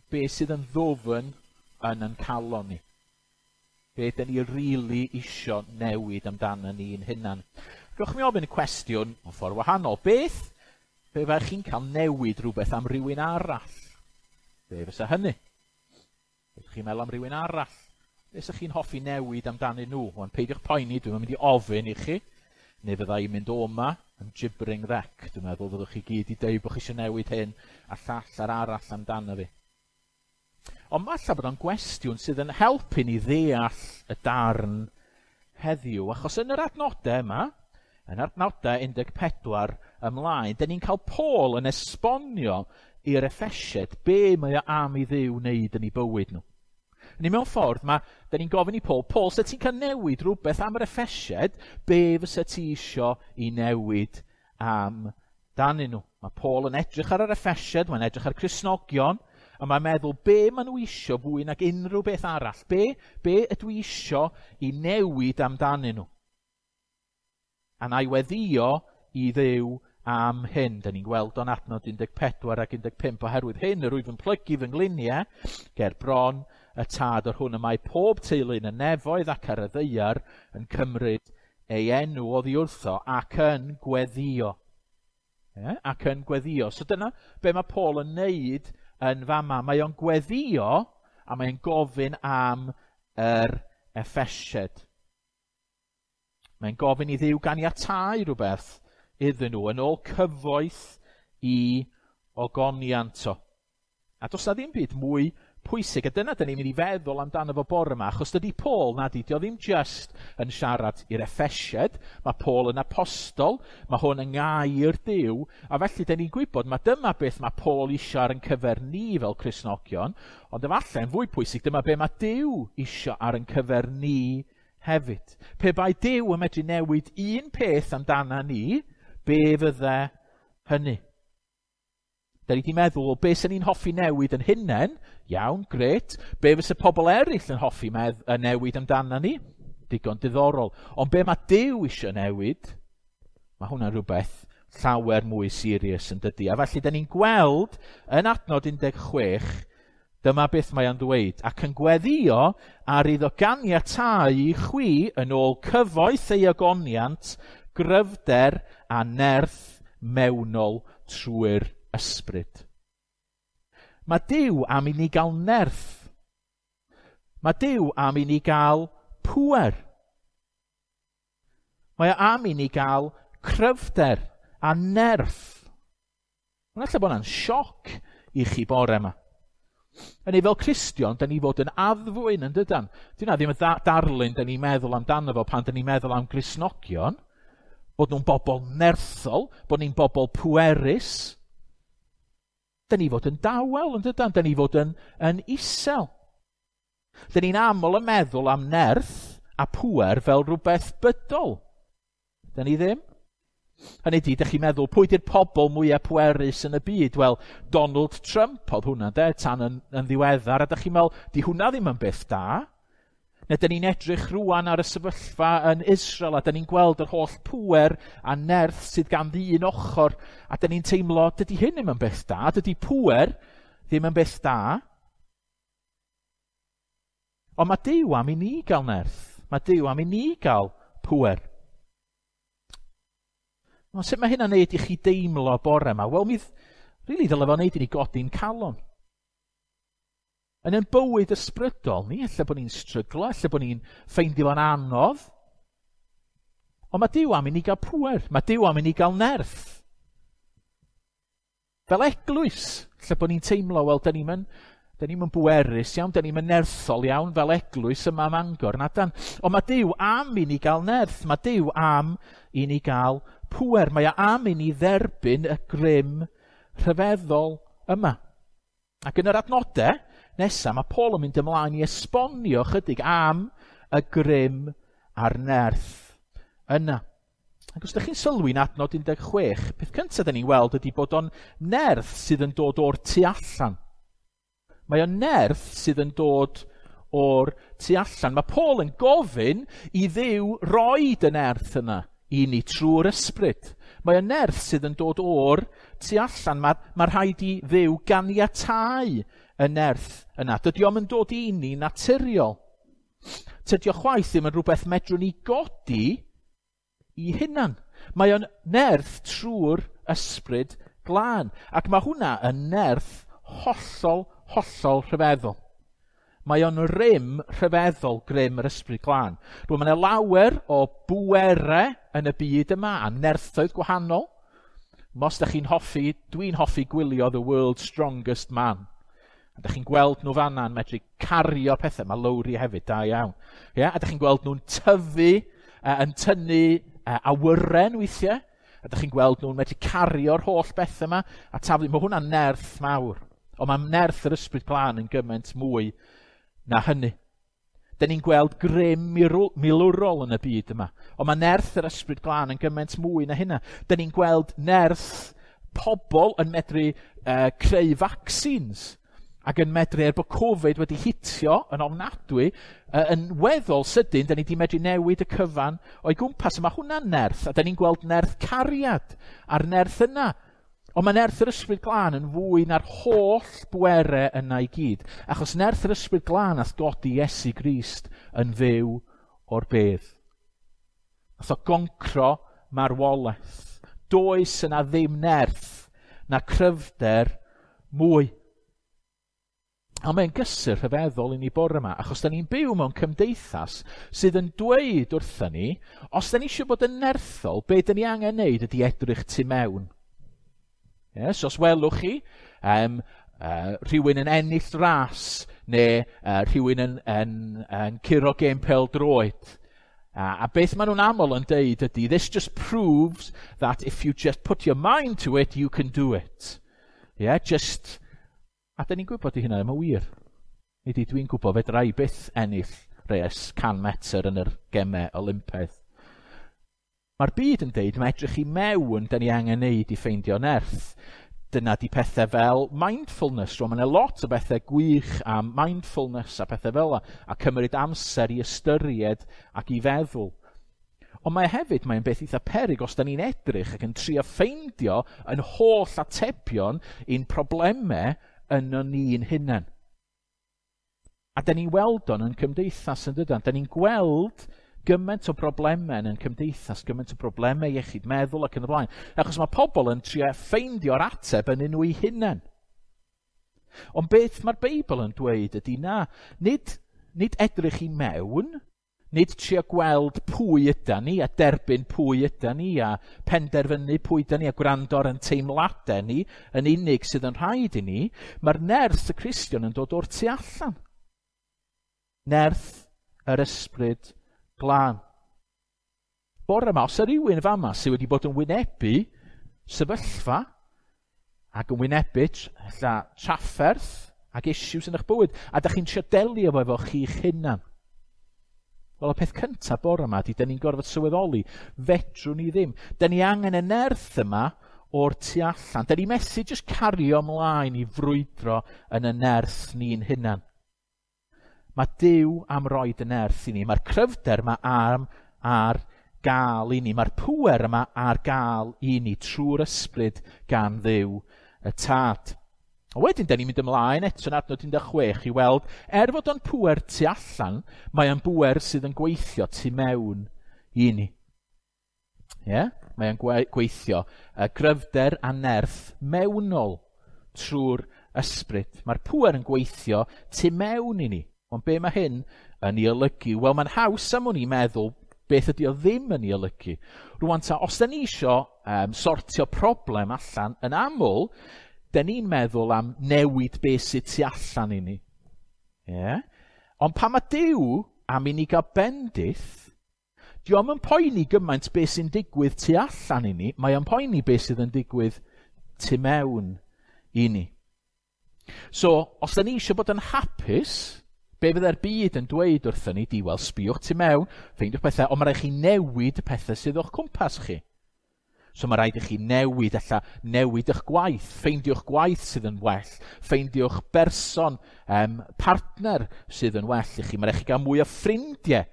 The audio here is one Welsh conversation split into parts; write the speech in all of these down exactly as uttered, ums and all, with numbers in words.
Be sydd yn ddwfn yn yn calon ni? Be dyn ni rili isio newid amdano ni'n hunan? Gewch mi ofyn y cwestiwn mewn ffordd wahanol. Beth pe baech chi'n cael newid rhywbeth am rywun arall? Be fysa hynny? Ydych chi'n meddwl am rywun arall? Be ydych chi'n hoffi newid amdanyn nhw? Wan, peidiwch poeni, dwi'n mynd i ofyn i chi, neu fydda i'n mynd o 'ma yn gibbering wreck. Dwi'n meddwl fyddwch chi gyd i dweud bod chi eisiau newid hyn a llall a'r arall amdano fi. Ond falle bod o'n gwestiwn sydd yn helpu ni ddeall y darn heddiw, achos yn yr adnodau yma, yn adnodau un deg pedwar ymlaen, dyn ni'n cael Paul yn esbonio i'r Effesiaid be mae o am i Dduw wneud yn ei bywyd nhw. Ni mewn ffordd, mae, dyn ni'n gofyn i Paul, Paul, sa ti'n cael newid rhywbeth am yr Effesiaid, be fysa ti isio i newid am danyn nhw? Mae Paul yn edrych ar yr Effesiaid, mae'n edrych ar Cristnogion, a mae'n meddwl be maen nhw isio fwy nag unrhyw beth arall. Be, be ydw i isio i newid amdanyn nhw? A na i weddio i Dduw am hyn. Da ni'n gweld o'n adnod un deg pedwar ac un deg pump, oherwydd hyn yr wyf yn plygu fy ngliniau ger bron y Tad, yr hwn y mae pob teulu yn y nefoedd ac ar y ddaear yn cymryd ei enw oddi wrtho ac yn gweddio. E? Ac yn gweddio. So dyna be mae Paul yn neud yn fama. Mae o'n gweddio a mae'n gofyn am yr Effesiaid. Mae'n gofyn i Dduw ganiatáu rhywbeth iddyn nhw yn ôl cyfoeth i ogoniant o. A does na ddim byd mwy pwysig, a dyna dyn ni'n mynd i feddwl amdano fo bore yma, achos dydy Paul, na di, dio ddim just yn siarad i'r Effesiaid, mae Paul yn apostol, mae hwn yn ngair Duw, a felly dyn ni'n gwybod, mae dyma beth mae Paul isio ar yn cyfer ni fel Cristnogion, ond efallai yn fwy pwysig, dyma be mae Duw isio ar yn cyfer ni hefyd. Pe bai Duw yn medru newid un peth amdana ni, be fydde hynny? Da ni wedi meddwl, be sy'n ni'n hoffi newid yn hunain? Iawn, gret. Be fysa pobl eraill yn hoffi medd- yn newid amdana ni? Digon diddorol. Ond be mae Duw eisiau newid? Mae hwnna'n rhywbeth llawer mwy serious yn dydy. A felly, da ni'n gweld yn adnod un deg chwech, dyma beth mae o'n ddweud. Ac yn gweddio ar iddo ganiatáu i chwi yn ôl cyfoeth ei ogoniant, gryfder a nerth mewnol trwy'r ysbryd. Mae Duw am i ni gael nerth. Mae Duw am i ni gael pŵer. Mae o am i ni gael cryfder a nerth. Mae'n ella bod hwnna'n sioc i chi bore yma. Yn ei fel Cristion, da ni fod yn addfwyn yn dydan. Dyna ddim y darlun da ni'n meddwl amdano fo pan da ni'n meddwl am Gristnogion, bod nhw'n bobl nerthol, bod ni'n bobl pwerus. Da ni fod yn dawel yn dydan, da ni fod yn, yn isel. Da ni'n aml yn meddwl am nerth a pŵer fel rhywbeth bydol. Da ni ddim. Hynny ydi, dych chi'n meddwl, pwy di'r pobl mwyaf pwerus yn y byd? Wel, Donald Trump oedd hwnna, de, tan yn, yn ddiweddar, a dych chi'n meddwl, di hwnna ddim yn beth da. Neu dyn ni'n edrych rwan ar y sefyllfa yn Israel, a dyn ni'n gweld yr holl pŵer a nerth sydd gan ddyn ochr, a dyn ni'n teimlo, dydy hyn ddim yn beth da, dydy pŵer ddim yn beth da. Ond mae Duw am i ni gael nerth, mae Duw am i ni gael pŵer. Ond sut mae hynna'n neud i chi deimlo bore yma? Wel, mi rili ddyle fo neud i ni godi'n calon. Yn ein bywyd ysbrydol ni, ella bod ni'n stryglo, ella bod ni'n ffeindio fo'n anodd. Ond mae Duw am i ni gael pŵer, mae Duw am i ni gael nerth. Fel eglwys, ella bod ni'n teimlo, wel, da ni'n da ni'm yn bwerus iawn, da ni'm yn nerthol iawn fel eglwys yma ym Mangor, na dan. Ond mae Duw am i ni gael nerth, mae Duw am i ni gael pŵer, mae o am i ni dderbyn y grym rhyfeddol yma. Ac yn yr adnodau nesaf, mae Paul yn mynd ymlaen i esbonio chydig am y grym a'r nerth yna. Ac os ydych chi'n sylwi'n adnod un deg chwech, peth cyntaf da ni'n weld ydy bod o'n nerth sydd yn dod o'r tu allan. Mae o'n nerth sydd yn dod o'r tu allan. Mae Paul yn gofyn i Dduw roid y nerth yna i ni trwy'r ysbryd. Mae o'n nerth sydd yn dod o'r tu allan. Mae, mae rhaid i Dduw ganiatáu y nerth yna. Dydy o'm yn dod i ni naturiol. Tydi o chwaith ddim yn rhywbeth medrwn ni godi i hunan. Mae o'n nerth trwy'r Ysbryd Glân. Ac mae hwnna yn nerth hollol, hollol rhyfeddol. Mae o'n rym rhyfeddol grym yr Ysbryd Glân. Rwy'n, mae yna lawer o bwerau yn y byd yma a nerthoedd gwahanol. Os da chi'n hoffi, dwi'n hoffi gwylio The World's Strongest Man. A da chi'n gweld nhw fanna yn medru cario pethau. Mae Lowry hefyd, da iawn. Yeah? A da chi'n gweld nhw'n tyfu, uh, yn tynnu uh, awyren weithiau. A da chi'n gweld nhw'n medru cario'r holl bethau yma. A taflu, mae hwnna'n nerth mawr. Ond mae nerth yr Ysbryd Glân yn gymaint mwy na hynny. Da ni'n gweld grym milwrol yn y byd yma. Ond mae nerth yr Ysbryd Glân yn gymaint mwy na hynna. Da ni'n gweld nerth pobl yn medru uh, creu vaccines ac yn medru, er bod Covid wedi hitio yn ofnadwy, uh, yn weddol sydyn, da ni wedi medru newid y cyfan o'i gwmpas. A mae hwnna'n nerth, a da ni'n gweld nerth cariad a'r nerth yna. Ond mae nerth yr Ysbryd Glân yn fwy na'r holl bwerau yna i gyd. Achos nerth yr Ysbryd Glân nath godi Iesu Grist yn fyw o'r bedd. Nath o goncro marwolaeth. Does yna ddim nerth na cryfder mwy. A mae'n gysur rhyfeddol i ni bore yma, achos da ni'n byw mewn cymdeithas sydd yn dweud wrthyn ni, os da ni eisiau bod yn nerthol, be da ni angen neud ydy edrych tu mewn. Yes, os welwch chi um, uh, rhywun yn ennill ras neu uh, rhywun yn, yn, yn curo gêm pêl-droed, uh, a beth maen nhw'n aml yn deud ydy, "This just proves that if you just put your mind to it, you can do it." Yeah, just... A da ni'n gwybod i hynna ddim yn wir. Nid i dwi'n gwybod fedra i byth ennill res can metr yn yr gemau Olympaidd. Mae'r byd yn deud mae edrych i mewn da ni angen neud i ffeindio nerth. Dyna di pethau fel mindfulness. Rwy'n, mae yna lot o bethau gwych am mindfulness a pethau fel yna, a cymryd amser i ystyried ac i feddwl. Ond mae hefyd, mae'n beth eitha peryg os da ni'n edrych ac yn trio ffeindio yn holl atebion i'n problemau yn ni'n hunain. A da ni'n weld o'n yn cymdeithas yn dydan. Da ni'n gweld gymaint o broblemau yn cymdeithas, gymaint o broblemau iechyd meddwl ac yn y blaen. Achos mae pobl yn trio ffeindio'r ateb yn nhw eu hunain. Ond beth mae'r Beibl yn dweud ydy na, nid, nid edrych i mewn, nid trio gweld pwy yda ni a derbyn pwy yda ni a penderfynu pwy yda ni a gwrando ar ein teimladau ni yn unig sydd yn rhaid i ni. Mae'r nerth y Cristion yn dod o'r tu allan. Nerth yr Ysbryd Glân. Bore yma, os yw rhywun fama sydd wedi bod yn wynebu sefyllfa ac yn wynebu ella trafferth ac issues yn eich bywyd, a da chi'n trio delio efo efo chi'ch hunan. Wel, y peth cyntaf bore yma ydy, da ni'n gorfod sylweddoli, fedrwn ni ddim. Da ni angen y nerth yma o'r tu allan. Da ni methu jyst cario ymlaen i frwydro yn y nerth ni'n hunan. Mae Duw am roid y nerth i ni. Mae'r cryfder yma am ar gael i ni. Mae'r pŵer yma ar gael i ni trwy'r Ysbryd gan Dduw y Tad. A wedyn, da ni'n mynd ymlaen eto yn adnod un deg chwech i weld, er fod o'n pŵer tu allan, mae o'n bŵer sydd yn gweithio tu mewn i ni. Yeah? Mae o'n gweithio y gryfder a nerth mewnol trwy'r Ysbryd. Mae'r pŵer yn gweithio tu mewn i ni. Ond be mae hyn yn ei olygu? Wel, mae'n haws am wn i meddwl beth ydy o ddim yn ei olygu. Rwan ta, os da ni isio um, sortio problem allan, yn aml, da ni'n meddwl am newid beth sydd tu allan i ni. Yeah? Ond pan mae Duw am i ni gael bendith, di o'm yn poeni gymaint beth sy'n digwydd tu allan i ni, mae o'n poeni beth sydd yn digwydd tu mewn i ni. So, os da ni eisiau bod yn hapus, be fydde'r byd yn dweud wrthyn ni, di, wel, sbiwch tu mewn, ffeindiwch pethau, ond mae rhaid chi newid y pethau sydd o'ch cwmpas chi. So mae rhaid i chi newid, ella newid eich gwaith, ffeindiwch gwaith sydd yn well, ffeindiwch berson, um, partner sydd yn well i chi. Mae rhaid chi gael mwy o ffrindiau.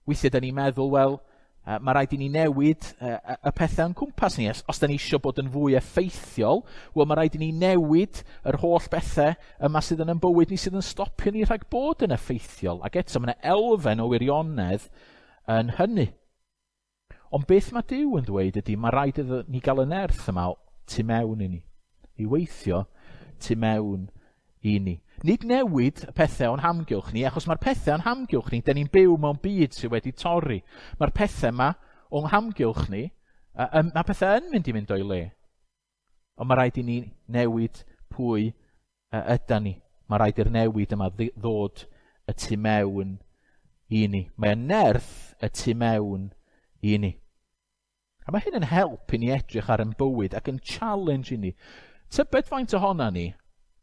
Weithiau da ni'n meddwl, wel, Uh, mae rhaid i ni newid uh, y pethau o'n cwmpas ni. Os, os da ni eisiau bod yn fwy effeithiol, wel, mae rhaid i ni newid yr holl bethau yma sydd yn ein bywyd ni sydd yn stopio ni rhag bod yn effeithiol. Ac eto, mae yna elfen o wirionedd yn hynny. Ond beth mae Duw yn dweud ydy, mae rhaid iddo ni gael y nerth yma tu mewn i ni. I weithio tu mewn i ni. Nid newid y pethau o'n hamgylch ni, achos mae'r pethau o'n hamgylch ni, da ni'n byw mewn byd sydd wedi torri. Mae'r pethau yma o'n hamgylch ni, uh, mae pethau yn mynd i mynd o'i le. Ond mae rhaid i ni newid pwy uh, yda ni. Mae rhaid i'r newid yma ddod y tu mewn i ni. Mae y nerth y tu mewn i ni. A mae hyn yn help i ni edrych ar ein bywyd ac yn challenge i ni. Tybed faint ohona ni,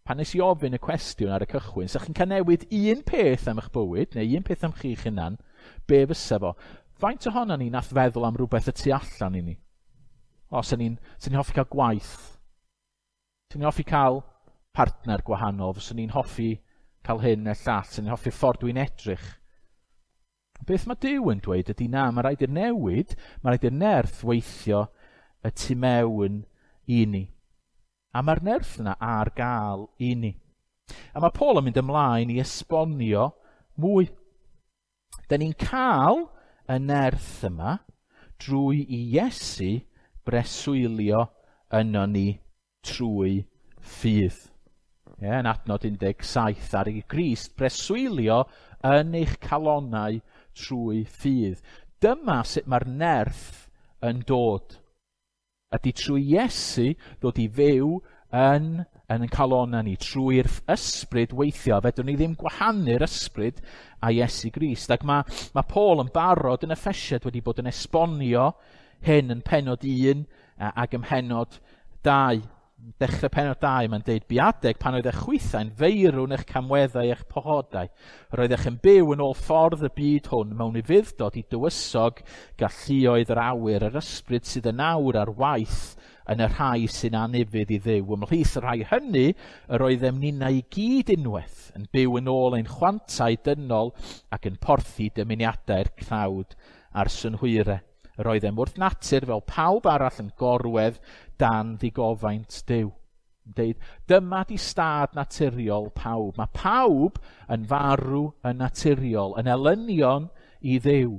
pan nes i ofyn y cwestiwn ar y cychwyn, sa chi'n cael newid un peth am eich bywyd, neu un peth am chi'ch hunan, be fysa fo? Faint ohona ni nath feddwl am rhywbeth y tu allan i ni? O, sa ni'n sa ni'n hoffi cael gwaith. Sa ni'n hoffi cael partner gwahanol, fyswn ni'n hoffi cael hyn neu llall, sa ni'n hoffi ffordd dwi'n edrych. Beth mae Duw yn dweud ydy na, mae rhaid i'r newid, mae rhaid i'r nerth weithio y tu mewn i ni. A mae'r nerth yna ar gael i ni. A mae Paul yn mynd ymlaen i esbonio mwy. Da ni'n cael y nerth yma drwy i Iesu breswylio yno ni trwy ffydd. Ie, yn adnod un deg saith, ar i Grist breswylio yn eich calonnau trwy ffydd. Dyma sut mae'r nerth yn dod. Ydy trwy Iesu ddod i fyw yn, yn ein calonnau ni, trwy'r ysbryd weithio. Fedrwn ni ddim gwahanu'r ysbryd a Iesu Grist. Ac mae, mae Paul yn barod yn Effesiad wedi bod yn esbonio hyn yn pennod un ac ym mhennod dau. Dechrau pennod dau, mae'n deud, bu adeg pan oedd eich chwithau'n feirw'n eich camweddau eich pochodau. Roeddech yn byw yn ôl ffordd y byd hwn mewn ufudd-dod i dywysog galluoedd yr awyr, yr ysbryd sydd yn awr ar waith yn y rhai sy'n anufudd i Dduw. Ymhlith y rhai hynny, yr oeddem ninnau i gyd unwaith yn byw yn ôl ein chwantau dynol ac yn porthi dymuniadau'r cnawd a'r synhwyrau. Yr oeddem wrth natur fel pawb arall yn gorwedd dan ddigofaint Duw. Yn deud, dyma di stad naturiol pawb. Mae pawb yn farw yn naturiol, yn elynion i Dduw.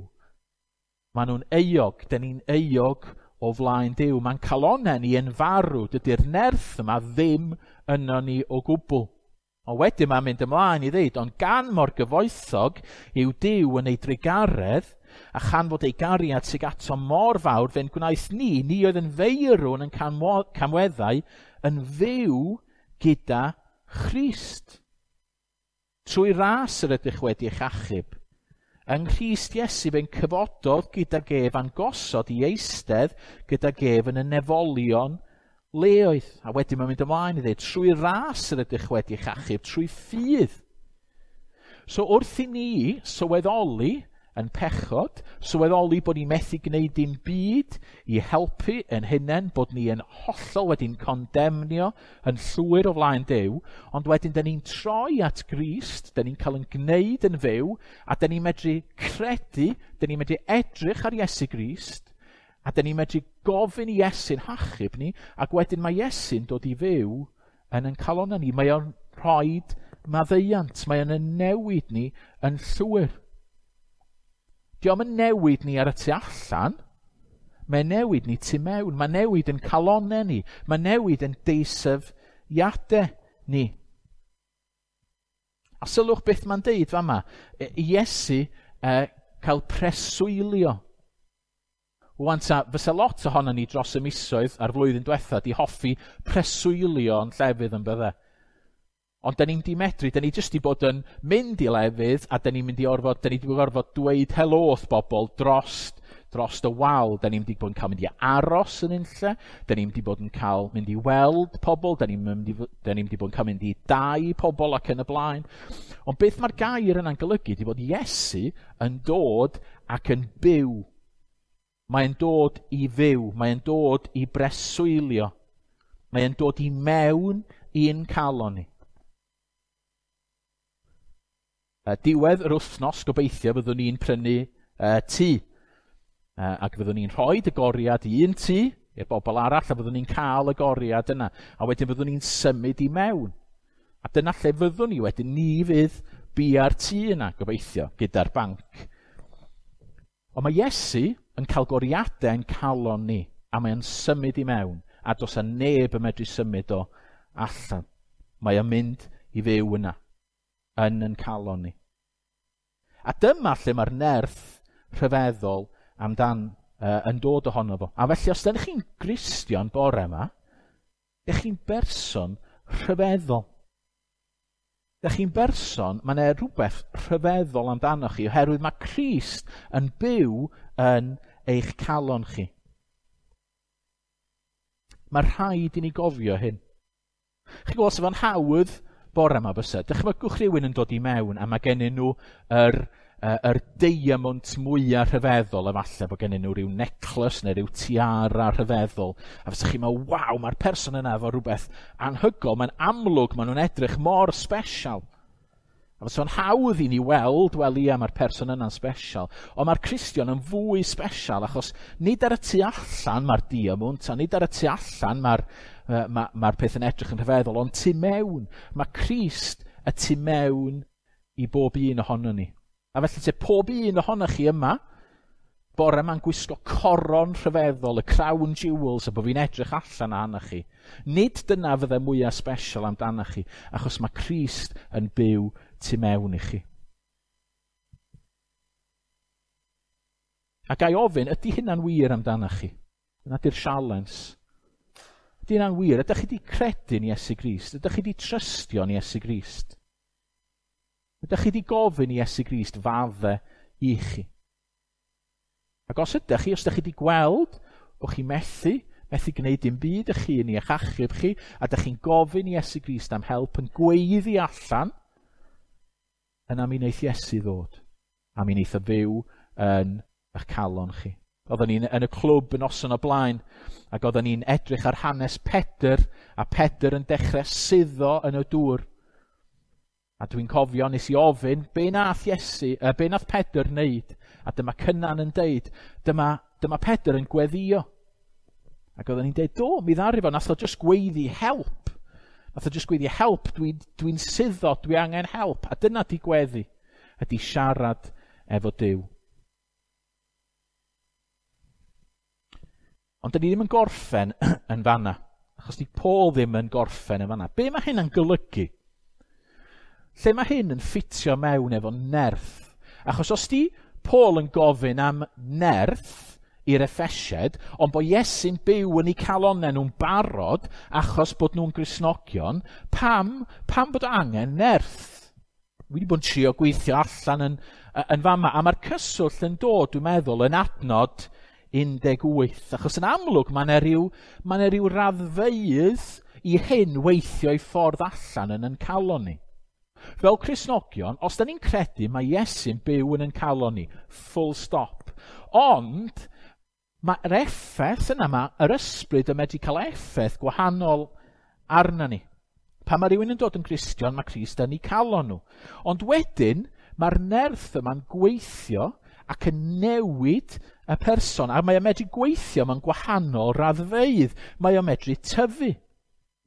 Maen nhw'n euog, dyn ni'n euog o flaen Duw. Mae'n calonnau ni yn farw, dydy'r nerth yma ddim yno ni o gwbl. Ond wedyn mae'n mynd ymlaen i ddeud, ond gan mor gyfoethog yw Duw yn ei drugaredd, a chan fod ei gariad sydd ato mor fawr, fe'n gwnaeth ni, ni oedd yn feirwn yn camweddau, yn fyw gyda Christ. Trwy ras yr ydych wedi eich achub. Yng Nghrist Iesu fe'n cyfododd gydag ef a'n gosod i eistedd gydag ef yn y nefolion leoedd. A wedyn mae'n mynd ymlaen i ddweud, trwy ras yr ydych wedi eich achub, trwy ffydd. So wrth i ni sylweddoli yn pechod, sylweddoli bod ni'n methu gwneud dim byd i helpu yn hunain, bod ni yn hollol wedi'n condemnio yn llwyr o flaen Duw, ond wedyn dyn ni'n troi at Grist, dyn ni'n cael yn gwneud yn fyw, a dyn ni'n medru credu, dyn ni'n medru edrych ar Iesu Grist, a dyn ni'n medru gofyn i Iesu'n hachub ni, ac wedyn mae Iesu'n dod i fyw yn ein calonnau ni. Mae o'n rhoi maddeuant, mae o'n newid ni yn llwyr. Dio'm yn newid ni ar y tu allan, mae'n newid ni tu mewn, mae'n newid yn calonnau ni, mae'n newid yn deisyfiadau ni. A sylwch beth mae'n deud fama, Iesu eh, cael preswylio. Wan ta, fysa lot ohono ni dros y misoedd a'r flwyddyn diwetha di hoffi preswylio yn llefydd yn bydde. Ond da ni'n di medru, da ni jyst di bod yn mynd i lefydd a da ni'n mynd i orfod, da ni di gorfod dweud helo wrth bobl dros, dros y wal. Da ni'n di bod yn cael mynd i aros yn unlle, da ni'n di bod yn cael mynd i weld pobl, da ni'n mynd i, da ni'n di bod yn cael mynd i dai pobl ac yn y blaen. Ond beth mae'r gair yna'n golygu di bod Iesu yn dod ac yn byw. Mae'n dod i fyw, mae'n dod i breswylio, mae'n dod i mewn i'n calon ni. Uh, diwedd yr wythnos, gobeithio, byddwn ni'n prynu uh, tŷ. Uh, ac fyddwn ni'n rhoi y goriad i un tŷ i'r bobl arall, a fyddwn ni'n cael y goriad yna. A wedyn fyddwn ni'n symud i mewn. A dyna lle fyddwn ni wedyn, ni fydd bia'r tŷ yna, gobeithio, gyda'r banc. Ond mae Iesu yn cael goriadau yn calon ni, a mae'n symud i mewn, a does 'na neb yn medru symud o allan. Mae o'n mynd i fyw yna, yn yn calon ni. A dyma lle mae'r nerth rhyfeddol amdan uh, yn dod ohono fo. A felly, os ydych chi'n Gristion bore yma, ydych chi'n berson rhyfeddol. Ydych chi'n berson, mae yna rhywbeth rhyfeddol amdano chi, oherwydd mae Crist yn byw yn eich calon chi. Mae rhaid i ni gofio hyn. Chi'n gwybod, sef o'n hawdd bore yma bysa. Dychmygwch rhywun yn dod i mewn a mae gennyn nhw yr, uh, yr diamond mwyaf rhyfeddol, efallai bod gennyn nhw rhyw necklace neu rhyw tiara rhyfeddol. A fysa chi'n meddwl, waw, mae'r person yna efo rhywbeth anhygoel, mae'n amlwg, maen nhw'n edrych mor special. A fysa fo'n hawdd i ni weld, wel ia, mae'r person yna'n special. Ond mae'r Cristion yn fwy special, achos nid ar y tu allan mae'r diamond, a nid ar y tu allan mae'r uh, ma, mae'r peth yn edrych yn rhyfeddol, ond tu mewn, mae Crist y tu mewn i bob un ohono ni. A felly te pob un ohonoch chi yma, bore yma'n gwisgo coron rhyfeddol, y crown jewels, a bod fi'n edrych allan arnoch chi. Nid dyna fydde mwyaf special amdanoch chi, achos mae Crist yn byw tu mewn i chi. A ga i ofyn, ydy hynna'n wir amdanoch chi? Dyna di'r sialens. Ydy hynna'n wir? Ydych chi wedi credu'n Iesu Grist? Ydych chi wedi trystio'n Iesu Grist? Ydych chi wedi gofyn i Iesu Grist fadde i chi? Ac os ydych chi, os ydych chi wedi gweld bod chi methu, methu gwneud dim byd ych chi yn eich achub chi, a ydych chi'n gofyn i Iesu Grist am help yn gweiddi allan, yna mi wneith Iesu ddod, a mi wneith o fyw yn eich calon chi. Oedden ni'n yn y clwb yn noson o blaen, ac oedden ni'n edrych ar hanes Pedr, a Pedr yn dechrau suddo yn y dŵr. A dwi'n cofio nes i ofyn, be nath Iesu, uh, be nath Pedr wneud? A dyma Cynan yn deud, dyma, dyma Pedr yn gweddio. Ac oedden ni'n deud, do, mi ddaru fo, nath o just gweiddi help. Nath o just gweiddi help, dwi'n dwi suddo, dwi angen help. A dyna di gweddi, ydi siarad efo Duw. Ond dyn ni ddim yn gorffen yn fanna, achos di Paul ddim yn gorffen yn fanna. Be mae hyn yn golygu? Lle mae hyn yn ffitio mewn efo nerth? Achos os di Paul yn gofyn am nerth i'r Effesiaid, ond bod Iesu'n byw yn eu calonnau nhw'n barod achos bod nhw'n Gristnogion, pam, pam bod angen nerth? Dwi wedi bod yn trio gweithio allan yn, yn fama, a mae'r cyswllt yn dod, dwi'n meddwl, yn adnod un deg wyth, achos yn amlwg mae yna rhyw, mae yna rhyw raddfeydd i hyn weithio i ffordd allan yn yn calon ni. Fel Cristnogion, os da ni'n credu mae Iesu'n byw yn yn calon ni, full stop. Ond mae'r effaith yna, mae yr ysbryd yn medru cael effaith gwahanol arna ni. Pan mae rhywun yn dod yn Gristion, mae Crist yn eu calon nhw. Ond wedyn, mae'r nerth yma'n gweithio ac yn newid y person. A mae o'n medru gweithio mewn gwahanol raddfeydd. Mae o'n medru tyfu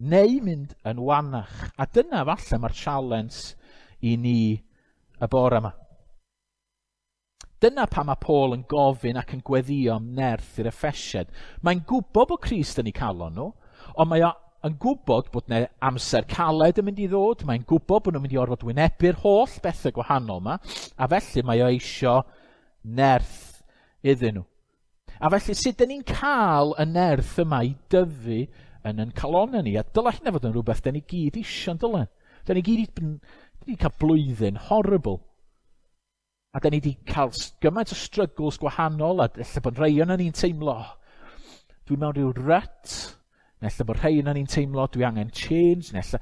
neu mynd yn wanach. A dyna falle mae'r challenge i ni y bore yma. Dyna pam mae Paul yn gofyn ac yn gweddio am nerth i'r Effesiaid. Mae'n gwybod bod Crist yn eu calon nhw, ond mae o yn gwybod bod yna amser caled yn mynd i ddod, mae'n gwybod bod nhw'n mynd i orfod wynebu'r holl bethau gwahanol yma, a felly mae o eisio nerth iddyn nhw. A felly sut dyn ni'n cael y nerth yma i dyfu yn yn calonnau ni? A dylai hynna fod yn rhywbeth dyn ni gyd eisiau, dylen. Dyn ni gyd dyn ni cael blwyddyn horrible. A dyn ni wedi cael gymaint o struggles gwahanol, a ella bod rhai o'n ni'n teimlo, dwi mewn rhyw rut, neu ella bod rhai o'n ni'n teimlo, dwi angen change, neu ella...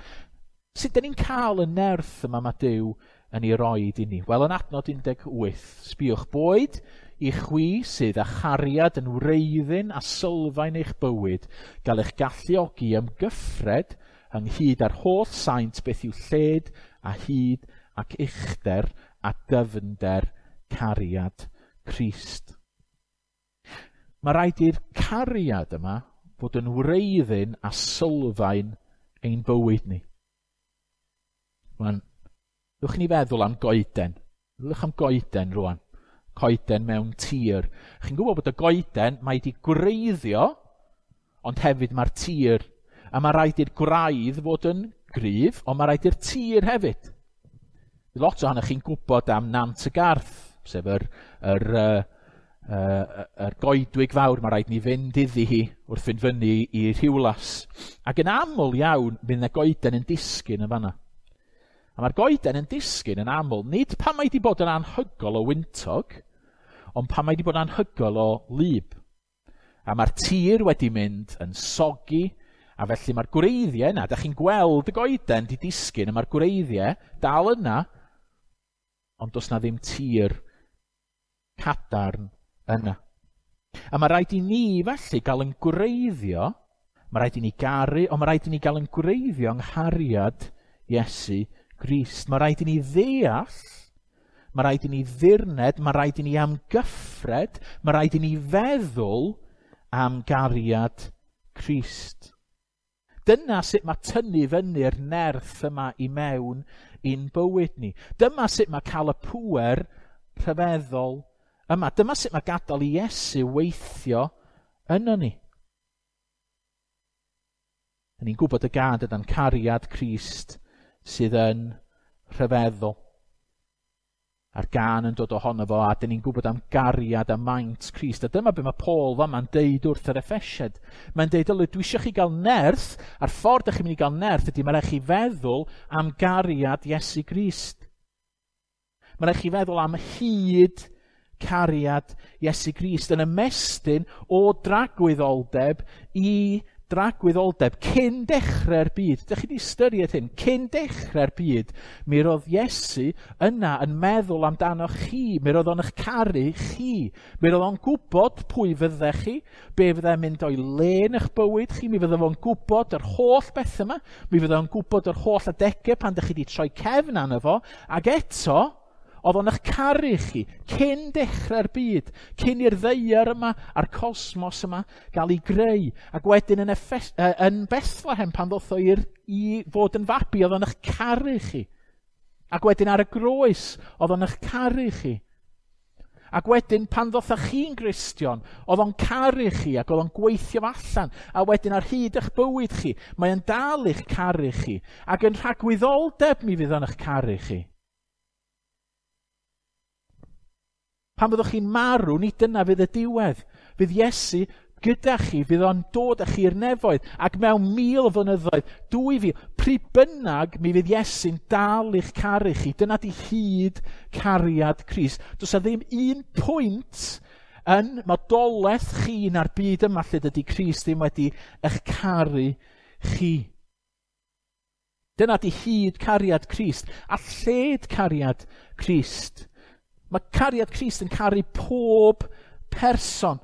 Sut dyn ni'n cael y nerth yma mae Duw yn ei roed i ni? Wel, yn adnod un deg wyth, sbiwch, boed i chwi sydd â chariad yn wreiddyn a sylfaen eich bywyd, gael eich galluogi ymgyffred ynghyd â'r holl saint beth yw lled a hyd ac uchder a dyfnder cariad Crist. Mae rhaid i'r cariad yma fod yn wreiddyn a sylfaen ein bywyd ni. Rwan, ddwch ni feddwl am goeden. Ddwch am goeden rwan. Coeden mewn tir. Chi'n gwybod bod y goeden, mae wedi gwreiddio, ond hefyd mae'r tir. A mae rhaid i'r gwraidd fod yn gryf, ond mae rhaid i'r tir hefyd. Lot ohonych chi'n gwybod am Nant y Garth, sef yr, yr, yr, yr, yr goedwig fawr mae rhaid ni fynd iddi hi wrth fynd fyny i Rhiwlas. Ac yn aml iawn, fydd yna goeden yn disgyn yn fanna. A mae'r goeden yn disgyn yn aml, nid pan mae wedi bod yn anhygol o wyntog, ond pan mae wedi bod yn anhygol o wlyb. A mae'r tir wedi mynd yn soggy, a felly mae'r gwreiddiau yna, da chi'n gweld y goeden di disgyn, a mae'r gwreiddiau dal yna, ond does na ddim tir cadarn yna. A mae rhaid i ni felly gael yn gwreiddio, mae rhaid i ni garu, ond mae rhaid i ni gael yn gwreiddio yng nghariad Iesu Grist. Mae rhaid i ni ddeall, mae rhaid i ni ddirned, mae rhaid i ni amgyffred, mae rhaid i ni feddwl am gariad Crist. Dyna sut mae tynnu fyny'r nerth yma i mewn i'n bywyd ni. Dyma sut mae cael y pŵer rhyfeddol yma. Dyma sut mae gadael i Iesu weithio yno ni. Ni'n gwybod y gân dydan, cariad Crist sydd yn rhyfeddol. A'r gân yn dod ohono fo, a dyn ni'n gwybod am gariad a maint Crist. A dyma be mae Paul fama'n deud wrth yr Effesiaid. Mae'n deud, ylu, dwi eisiau chi gael nerth, a'r ffordd ydych chi'n mynd i gael nerth ydy mae rhaid chi feddwl am gariad Iesu Grist. Mae rhaid chi feddwl am hyd cariad Iesu Grist yn ymestyn o dragwyddoldeb i dragwyddoldeb cyn dechrau'r byd. Dych chi wedi ystyried hyn? Cyn dechrau'r byd, mi roedd Iesu yna yn meddwl amdano chi. Mi roedd o'n eich caru chi. Mi roedd o'n gwybod pwy fyddech chi, be fyddai'n mynd o'i le yn eich bywyd chi. Mi fydde fo'n gwybod yr holl beth yma. Mi fydde o'n gwybod yr holl adegau pan dych chi wedi troi cefn arno fo. Ac eto, oedd o'n eich caru chi cyn dechrau'r byd, cyn i'r ddaear yma a'r cosmos yma gael ei greu. Ac wedyn yn, Effes, yn Bethlehem pan ddoth o i'r, i fod yn fabi, oedd o'n eich caru chi. Ac wedyn ar y groes, oedd o'n eich caru chi. Ac wedyn pan ddoth chi'n Gristion, oedd o'n caru chi ac oedd o'n gweithio allan. A wedyn ar hyd eich bywyd chi, mae'n dal i'ch caru chi. Ac yn rhagwyddoldeb mi fydd o'n eich caru chi. Pan fyddwch chi'n marw, nid dyna fydd y diwedd. Fydd Iesu gyda chi, fydd o'n dod â chi i'r nefoedd. Ac mewn mil o flynyddoedd, dwy fil, pryd bynnag mi fydd Iesu'n dal i'ch caru chi. Dyna di hyd cariad Crist. Does 'na ddim un pwynt yn modolaeth chi na'r byd yma lle dydy Crist ddim wedi eich caru chi. Dyna di hyd cariad Crist a lled cariad Crist. Mae cariad Crist yn caru pob person.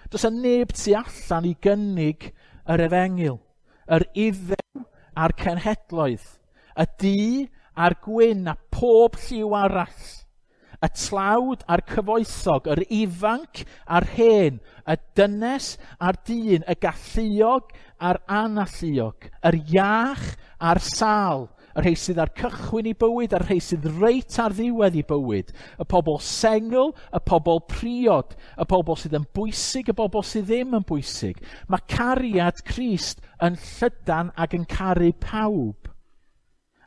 Does 'na neb tu allan i gynnig yr efengyl, yr Iddew a'r cenhedloedd, y du a'r gwyn a pob lliw arall, y tlawd a'r cyfoethog, yr ifanc a'r hen, y dynes a'r dyn, y galluog a'r analluog, yr iach a'r sâl, y rhai sydd ar cychwyn i bywyd a'r rhai sydd reit ar ddiwedd i bywyd, y pobl sengl, y pobl priod, y pobl sydd yn bwysig, y pobl sydd ddim yn bwysig. Mae cariad Crist yn llydan ac yn caru pawb.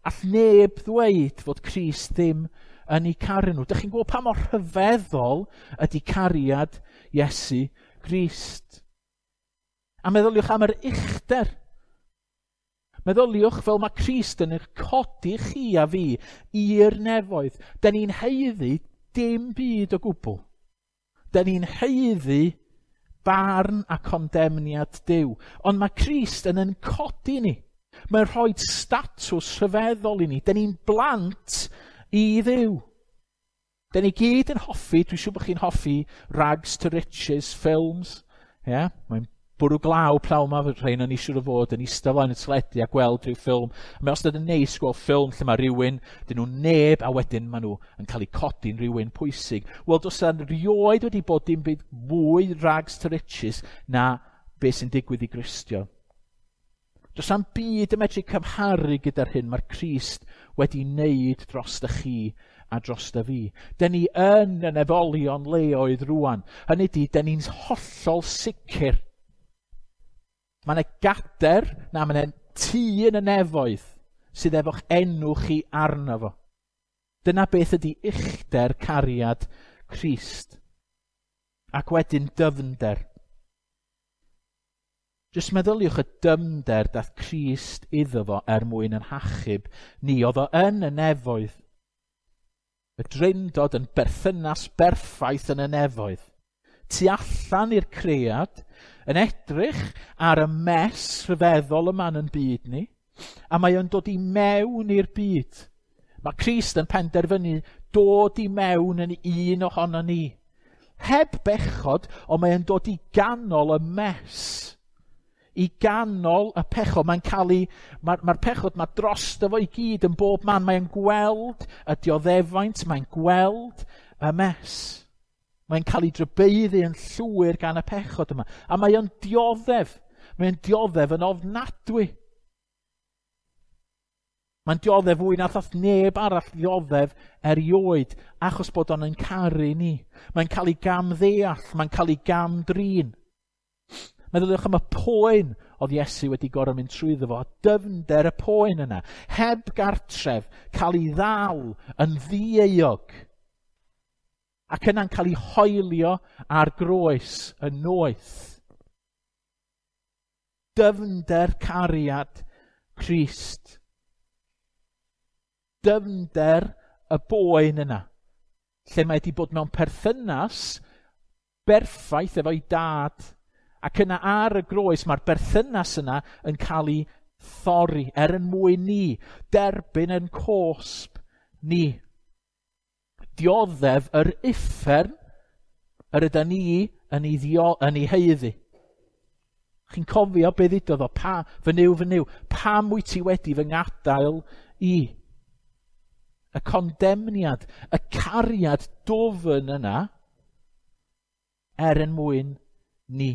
All neb ddweud fod Crist ddim yn eu caru nhw. Dych chi'n gwybod pa mor rhyfeddol ydy cariad Iesu Grist? A meddyliwch am yr uchder. Meddyliwch fel mae Crist yn eich codi chi a fi i'r nefoedd. Da ni'n haeddu dim byd o gwbl. Da ni'n haeddu barn a condemniad Duw. Ond mae Crist yn yn codi ni. Mae'n rhoi statws rhyfeddol i ni. Da ni'n blant i Dduw. Da ni gyd yn hoffi, dwi'n siŵr bod chi'n hoffi Rags to Riches films. Yeah, mae'n Bwrw glaw pnawn 'ma, fydd rhain yn siŵr o fod yn eistedd flaen y teledu a gweld rhyw ffilm. A mae wastad yn neis gweld ffilm lle mae rhywun, dyn nhw neb, a wedyn maen nhw yn cael eu codi'n rhywun pwysig. Wel, does yna rioed wedi bod dim byd fwy rags to riches na beth sy'n digwydd i Gristion. Does na'm byd yn medru cymharu gyda'r hyn mae'r Crist wedi wneud dros chi a dros fi. Dyn ni yn y nefolion leoedd rwan. Hynny ydy, dyn ni'n hollol sicr. Mae yna gader, na mae yna tŷ yn y nefoedd sydd efo'ch enw chi arno fo. Dyna beth ydy uchder cariad Crist. Ac wedyn dyfnder. Jyst meddyliwch y dyfnder dath Crist iddo fo er mwyn yn hachub ni. Oedd o yn y nefoedd. Y Drindod yn berthynas berffaith yn y nefoedd. Tu allan i'r cread, yn edrych ar y mess rhyfeddol yma yn byd ni, a mae o'n dod i mewn i'r byd. Mae Crist yn penderfynu dod i mewn yn un ohono ni. Heb bechod, ond mae o'n dod i ganol y mess. I ganol y pechod. Mae'n cael ei, mae'r mae pechod mae drosto fo i gyd yn bob man. Mae'n gweld y dioddefaint, mae'n gweld y mess. Mae'n cael ei drybeiddi yn llwyr gan y pechod yma. A mae o'n dioddef. Mae'n dioddef yn ofnadwy. Mae'n dioddef fwy na ddath neb arall ddioddef erioed, achos bod o'n yn caru ni. Mae'n cael ei gamddeall, mae'n cael ei gamdrin. Meddyliwch am y poen oedd Iesu wedi gorfod mynd trwyddo fo, dyfnder y poen yna, heb gartref, cael ei ddal yn ddieuog, ac yna'n cael ei hoelio ar groes yn noeth. Dyfnder cariad Crist. Dyfnder y boen yna, lle mae wedi bod mewn perthynas berffaith efo'i dad, ac yna ar y groes mae'r berthynas yna yn cael ei thorri er yn mwyn ni, derbyn yn cosb ni. Dioddef yr uffern yr yda ni yn ei, ddio, yn ei haeddu. Chi'n cofio be ddudodd o, pa, fy Nuw, fy Nuw, pam wyt ti wedi fy ngadael i? Y condemniad, y cariad dwfn yna, er yn mwyn ni.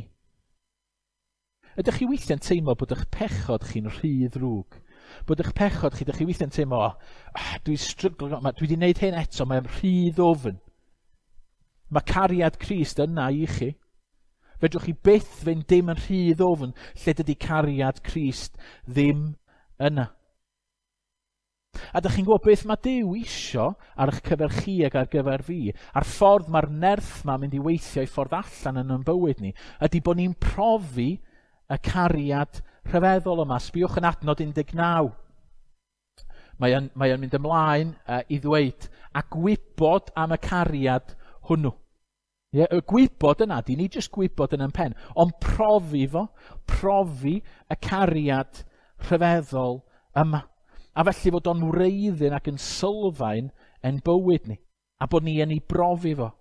Ydych chi weithiau'n teimlo bod eich pechod chi'n rhy ddrwg? Bod eich pechod chi, ydych chi weithiau'n teimlo, oh, dwi'n stryglo, dwi wedi gwneud hyn eto, mae'n rhy ddwfn. Mae cariad Crist yna i chi. Fedrwch chi byth fynd dim yn rhy ddwfn lle dydy cariad Crist ddim yna. A dych chi'n gwybod beth mae Duw isio ar eich cyfer chi ac ar gyfer fi, a'r ffordd mae'r nerth ma'n mynd i weithio i ffordd allan yn ein bywyd ni, ydy bod ni'n profi y cariad rhyfeddol yma. Sbiwch yn adnod un deg naw. Mae o'n, mae o'n mynd ymlaen uh, i ddweud, a gwybod am y cariad hwnnw. Ie, y gwybod yna, di ni jyst gwybod yn ein pen, ond profi fo, profi y cariad rhyfeddol yma. A felly fod o'n wreiddyn ac yn sylfaen yn bywyd ni, a bod ni yn ei brofi fo.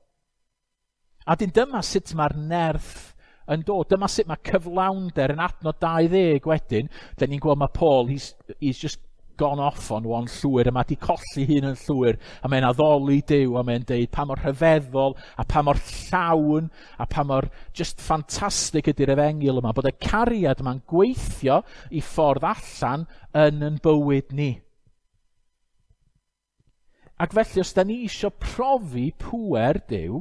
A dyn dyma sut mae'r nerth yn dod. Dyma sut mae cyflawnder yn adnod dau ddeg wedyn. Dyn ni'n gweld mae Paul, he's, he's just gone off on one llwyr, a mae di colli hun yn llwyr, a mae'n addoli Duw, a mae'n deud pa mor rhyfeddol, a pa mor llawn, a pa mor just ffantastig ydy'r efengyl yma, bod y cariad yma'n gweithio i ffordd allan yn yn bywyd ni. Ac felly, os da ni isio profi pŵer Duw,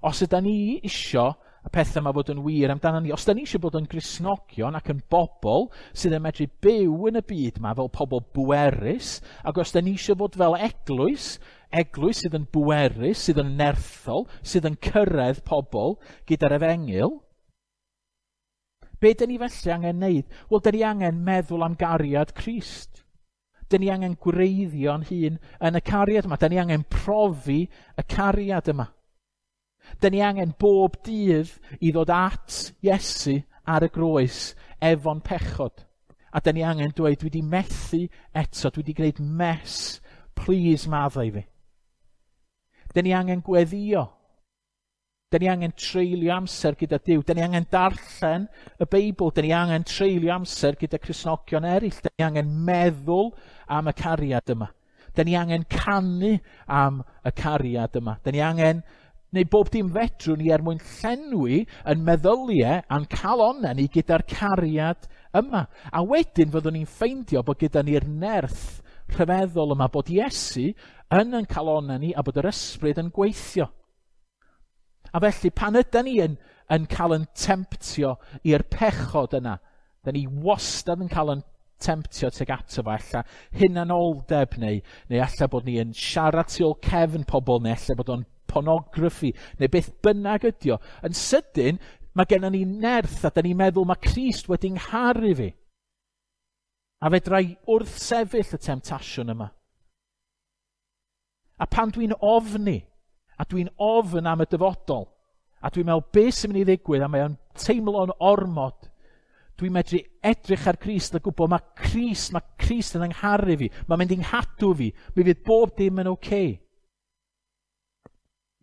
os yda ni isio y pethau yma fod yn wir amdano ni, os da ni eisiau bod yn Gristnogion ac yn bobl sydd yn medru byw yn y byd yma fel pobl bwerus, ac os da ni eisiau bod fel eglwys, eglwys sydd yn bwerus, sydd yn nerthol, sydd yn cyrraedd pobl gyda'r efengyl, be da ni felly angen wneud? Wel, da ni angen meddwl am gariad Crist. Da ni angen gwreiddio'n hun yn y cariad yma. Da ni angen profi y cariad yma. Da ni angen bob dydd i ddod at Iesu ar y groes efo'n pechod. A da ni angen dweud, dwi wedi methu eto, dwi wedi gwneud mess, please maddau fi. Da ni angen gweddio. Da ni angen treulio amser gyda Duw. Da ni angen darllen y Beibl. Da ni angen treulio amser gyda Cristnogion eraill. Da ni angen meddwl am y cariad yma. Da ni angen canu am y cariad yma. Da ni angen neu bob dim fedrwn ni er mwyn llenwi yn meddyliau a'n calonnau ni gyda'r cariad yma. A wedyn fyddwn ni'n ffeindio bod gyda ni'r nerth rhyfeddol yma, bod Iesu yn yn calonnau ni a bod yr ysbryd yn gweithio. A felly pan ydan ni yn, yn cael yn temptio i'r pechod yna, da ni wastad yn cael yn temptio tuag ato fo, ella hunanoldeb neu, neu ella bod ni yn siarad tu ôl cefn pobl, neu ella bod o'n pornograffi, neu beth bynnag ydi o. Yn sydyn, mae gennym ni nerth a da ni'n meddwl mae Crist wedi ngharu fi. A fedra i wrthsefyll y temtasiwn yma. A pan dwi'n ofni, a dwi'n ofn am y dyfodol, a dwi'n meddwl beth sy'n mynd i ddigwydd, a mae o'n teimlo'n ormod, dwi'n medru edrych ar Crist a gwybod mae Crist, mae Crist yn yngharu fi, mae'n mynd i'n nghadw fi, mi fydd bob dim yn oce. Okay.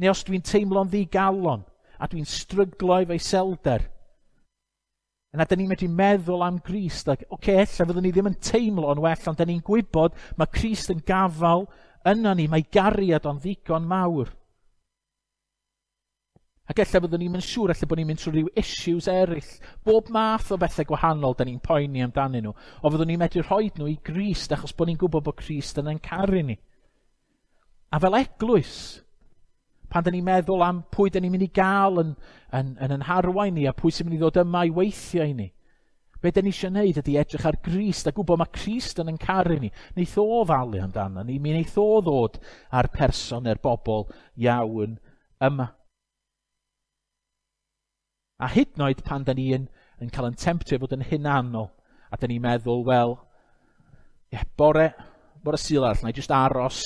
Neu os dwi'n teimlo'n ddigalon, a dwi'n stryglo efo iselder, yna da ni'n medru meddwl am Grist, ac oce, okay, ella fyddwn ni ddim yn teimlo'n well, ond da ni'n gwybod mae Crist yn gafal yna ni, mae gariad o'n ddigon mawr. Ac ella fyddwn ni'n mynd siŵr, ella bod ni'n mynd trwy ryw issues eraill, bob math o bethau gwahanol da ni'n poeni amdanyn nhw, o fyddwn ni'n medru rhoi nhw i Grist achos bod ni'n gwybod bod Crist yn ein caru ni. A fel eglwys, pan da ni'n meddwl am pwy da ni'n mynd i gael yn, yn, yn, yn harwain ni a pwy sy'n mynd i ddod yma i weithio i ni, be da ni eisiau gwneud ydy edrych ar Grist a gwybod mae Crist yn ein caru ni. Neith o falu amdano ni, mi neith o ddod â'r person neu'r bobl iawn yma. A hyd yn oed pan da ni yn, yn cael yn temptio fod yn hunanol, a da ni'n meddwl, wel, ie, bore, bore Sul arall, na i jyst aros,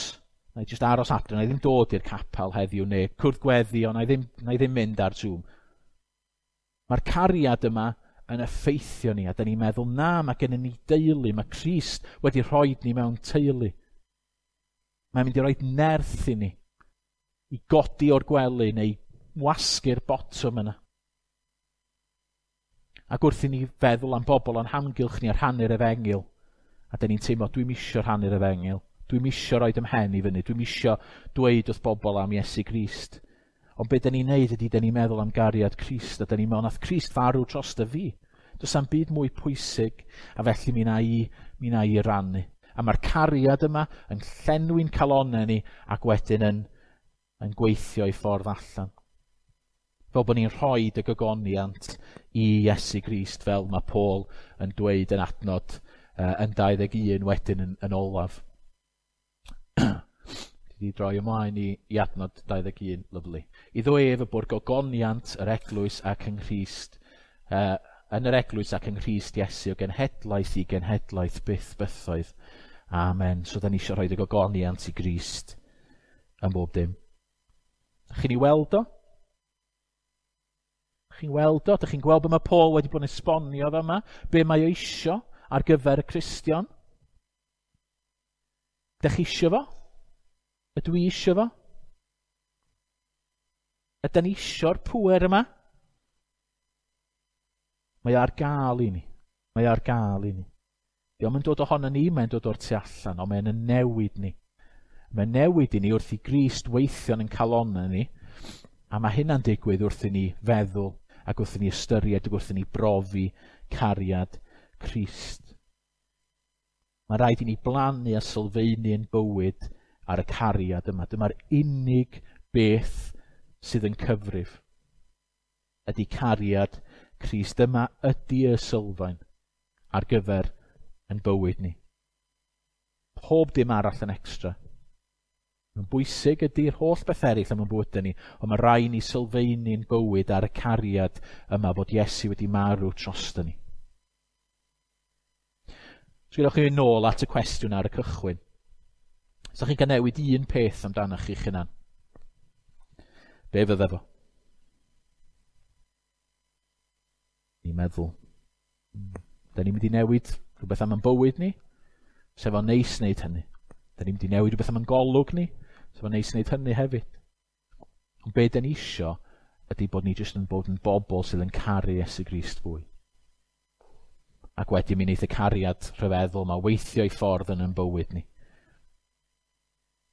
na i jyst aros adre, na i ddim dod i'r capel heddiw, neu cwrdd gweddi, ond na i ddim, na i ddim mynd ar Zoom. Mae'r cariad yma yn effeithio ni, a da ni'n meddwl, na, mae gennym ni deulu, mae Crist wedi rhoi ni mewn teulu. Mae'n mynd i roi nerth i ni, i godi o'r gwely neu wasgu'r botwm yna. Ac wrth i ni feddwl am bobl o'n hamgylch ni a rhannu'r efengyl, a da ni'n teimlo, dwi'm isio rhannu'r efengyl, dwi'm isio roid 'y mhen i fyny, dwi'm isio dweud wrth bobl am Iesu Grist. Ond be da ni'n neud ydy, da ni'n meddwl am gariad Crist, a da ni'n meddwl, nath Crist farw drosto fi. Does am byd mwy pwysig, a felly mi na i, mi na i rannu. A mae'r cariad yma yn llenwi'n calonnau ni, ac wedyn yn, yn gweithio i ffordd allan. Fel bod ni'n rhoi y gogoniant i Iesu Grist, fel mae Paul yn dweud yn adnod uh, yn dau ddeg un wedyn yn, yn olaf. Di droi ymlaen i, i adnod dau ddeg un, lyfli. Iddo ef y bod gogoniant yr eglwys ac yng Nghrist, uh, yn yr eglwys ac yng Nghrist Iesu o genhedlaeth i genhedlaeth byth bythoedd. Amen. So da ni eisiau rhoi y gogoniant i Grist yn bob dim. Chi'n ei weld o? Chi'n weld o? Dych chi'n gweld be mae Paul wedi bod yn esbonio fe yma? Be mae o isio ar gyfer y Cristion? Dych chi isio fo? Ydw i isio fo? Ydyn ni isio'r pŵer yma? Mae o ar gael i ni. Mae o ar gael i ni. Dio'm yn dod ohono ni, mae'n dod o'r tu allan, ond mae'n yn newid ni. Mae'n newid i ni wrth i Grist weithio yn calonnau ni, a mae hynna'n digwydd wrth i ni feddwl ac wrth i ni ystyried ac wrth i ni brofi cariad Crist. Mae rhaid i ni blannu a sylfaenu yn bywyd ar y cariad yma. Dyma'r unig beth sydd yn cyfrif. Ydy cariad Crist. Dyma ydy y sylfaen ar gyfer yn bywyd ni. Pob dim arall yn extra. Mae'n bwysig ydy'r holl beth eraill am yn bywydau ni, ond mae rhaid ni sylfaenu'n bywyd ar y cariad yma bod Iesu wedi marw drosto ni. So gewch chi fynd nôl at y cwestiwn ar y cychwyn. Sa chi'n cael newid un peth amdanoch chi'ch hunan, be fydde fo? Ni'n meddwl, da ni'n mynd i newid rhywbeth am ein bywyd ni, sef o'n neis wneud hynny. Da ni'n mynd i newid rhywbeth am ein golwg ni, sef o'n neis wneud hynny hefyd. Ond be da ni isio Ydy bod ni jyst yn bod yn bobl sydd yn caru Iesu Grist fwy. Ac wedyn mi wneith y cariad rhyfeddol 'ma weithio i ffordd yn yn bywyd ni.